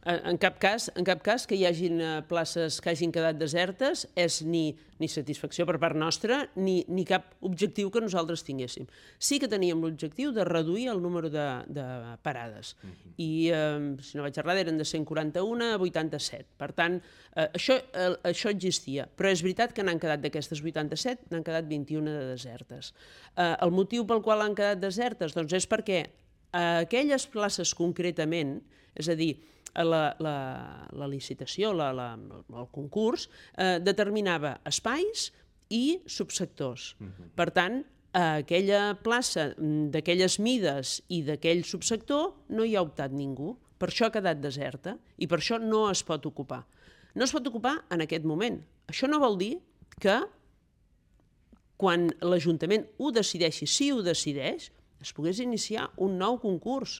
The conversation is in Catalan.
En cap cas que hi hagin places que hagin quedat desertes és ni satisfacció per part nostra ni cap objectiu que nosaltres tinguéssim. Sí que teníem l'objectiu de reduir el número de parades. I, si no vaig errada, eren de 141 a 87. Per tant, això existia. Però és veritat que n'han quedat d'aquestes 87, n'han quedat 21 de desertes. El motiu pel qual han quedat desertes doncs és perquè aquelles places concretament, és a dir, la licitació, el concurs, determinava espais i subsectors. Per tant, a aquella plaça d'aquelles mides i d'aquell subsector no hi ha optat ningú. Per això ha quedat deserta i per això no es pot ocupar. No es pot ocupar en aquest moment. Això no vol dir que quan l'Ajuntament ho decideixi, si ho decideix, es pogués iniciar un nou concurs.